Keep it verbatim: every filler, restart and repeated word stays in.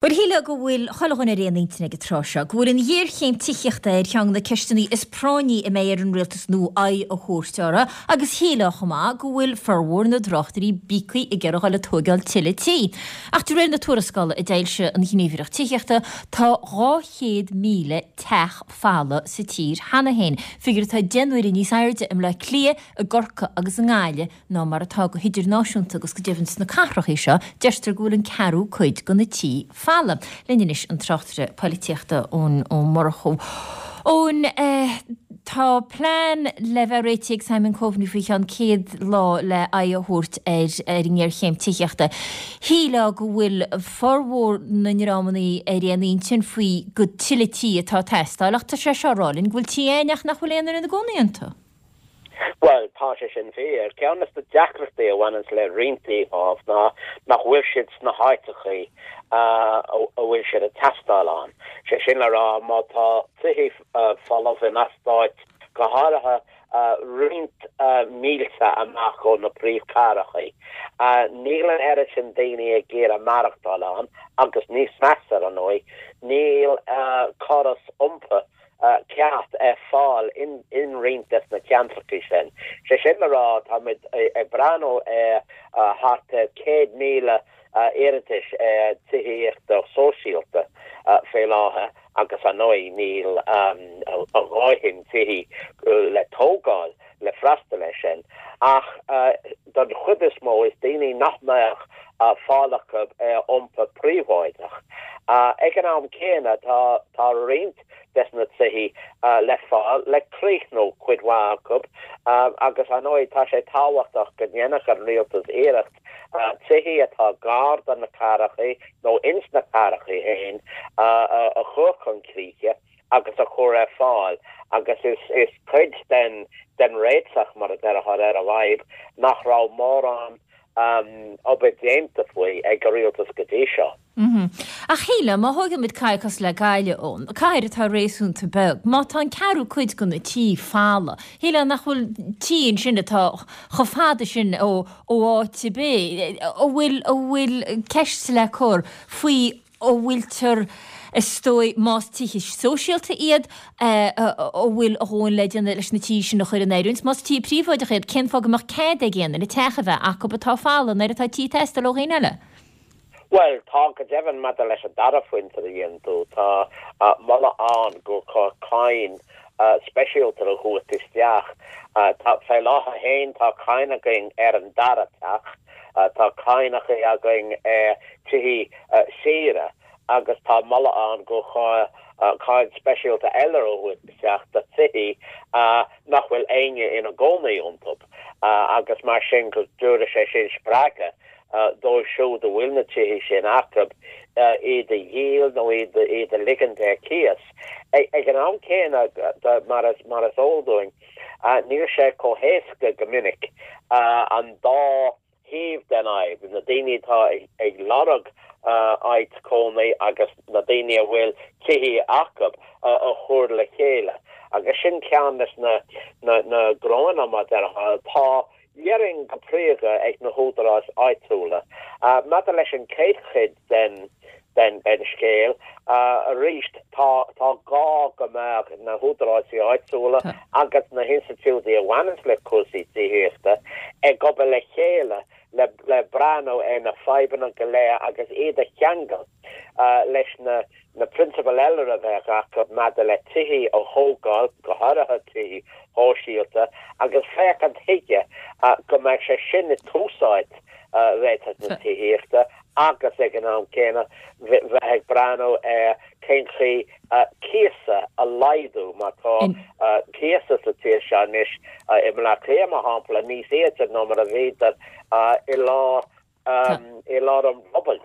Bhuel, shílfeá go bhfuil chuile dhuine ar aon intinn ag an tráth seo, go bhfuil an ghéarchéim tithíochta ar cheann de na ceisteanna is práinní a mbeidh ar an rialtas nua aghaidh a thabhairt orthu, agus shílfeá chomh maith go bhfuil formhór na dtráchtairí bíogtha ag iarraidh dul ag tóigeáil tuilleadh tí. Ach de réir na tuarascála a d'fhoilsigh an Ghníomhaireacht Tithíochta, tá dhá chéad míle teach folamh sa tír cheana féin, figiúr atá deich n-uaire níos airde i mBleá Cliath, i gCorcaigh agus i nGaillimh ná mar atá go hidirnáisiúnta agus go deimhin sna cathracha seo deirtear go bhfuil an ceathrú cuid de na tithe folamh. Linn anois an tráchtaire polaitíochta Eoin Ó Murchú. Eoin, tá plean le bheith réitithe ag Simon Coveney faoi cheann céad lá le aghaidh a thabhairt ar ar an ngéarchéim tithíochta. Shílfeá go bhfuil formhór na ndreamanna ar aon intinn faoi gur tuilleadh tí atá ag teastáil ach tá sé seo ag rá linn go bhfuil tithe ann ach nach bhfuil aon duine ina gcónaí iontu. Bhuel, tá sé sin fíor. Ceann de na deacrachtaí a bhaineann le roinnt tithe ámh ná nach bhfuil siad sna háiteacha a bhfuil siad ag teastáil ann. Sé sin le rá má tá tithe folamh in eastáit go háirithe roinnt mílte amach ó na príomhchathracha. Níl an oiread sin daoine ag iarraidh maireachtáil ann agus níos measa ar ndóigh, níl córas iompair ceart ar fáil in in roinnt des na ceantracha sin. Sé sin le rá táimid ag breathnú ar thart ar céad míle iarratais ar tithíochta sóisialta fé láthair agus ar ndóigh níl a dhóthain tithe le tógáil le freastal air sin. Ach don chuid is mó is daoine nach mbeadh fáil acu ar iompar príobháideach. Ag an am céanna tá tá roinnt des na tithe le fáil le críochnú cuid mhaith acu agus ar ndóigh tá sé tábhachtach go ndéanfadh an rialtas iarracht tithe atá gar do na cathracha nó ins na cathracha féin a chur chun críche agus a chur ar fáil agus is is cuid den den réiteach mar a déarfá ar an bhfadhb nach raibh mórán obair déanta faoi ag an rialtas go dtí seo. Ach shílfeá, má thógaimid cathair cosúil le Gaillimh ann, cathair atá réasúnta beag, má tá an ceathrú cuid de na tithe folamh, shílfeá nach bhfuil tithe ansin atá chomh fada sin ó ó áit ar bith, an bhfuil an bhfuil ceist le cur faoi an bhfuiltear is dóigh más tithe sóisialta iad an bhfuil a dhóthain le déanamh leis na tithe sin a chur in oiriúint, más tithe príobháideacha iad, cén fáth go mbeadh cead ag aon duine teach a bheith acu atá folamh nuair atá tithe ag teastáil ó dhaoine eile? Bhuel, tá go deimhin maidir leis an dara phointe a dhein tú, tá moladh ann gur chóir cáin speisialta a thabhairt isteach. Tá fé láthair féin tá cáin againn ar an dara teach, tá cáinacha againn ar tithe saoire agus tá moladh ann gur chóir cáin speisialta eile a thabhairt isteach do thithe nach bhfuil éinne ina gcónaí iontu agus mar sin go dtabharfaidh sé sin spreagadh dóibh siúd a bhfuil na tithe sin acu iad a dhíol nó iad iad a ligint ar cíos. Ag an am céanna mar is mar is eol dúinn, níl sé chomh héasca go minic an dá thaobh den fhadhb, na daoine atá ag lorg áit cónaí agus na daoine a bhfuil tithe acu a chur le chéile. Agus sin ceann des na na na gnóanna mar déarfá atá déarfainn go príomha ag na húdaráis áitiúla. Maidir leis an chéad chuid den den den scéal arís tá tá gá go mbeadh na húdaráis áitiúla agus na hinstitiúidí a bhaineann le cúrsaí tithíochta ag obair le chéile le le breathnú ar na fadhbanna go léir agus iad a cheangal leis na na prionsabail eile a bheadh acu maidir le tithe a thógáil, go háirithe tithe sóisialta, agus féachaint chuige go mbeadh sé sin i dtús áit réiteach na tithíochta agus ag an am céanna bheith ag breathnú ar cén chaoi cíosa a laghdú mar tá cíosa sa tír seo anois i mBleá Cliath mar shampla níos ísle ná mar a bhíodar i lár i lár an bhubble.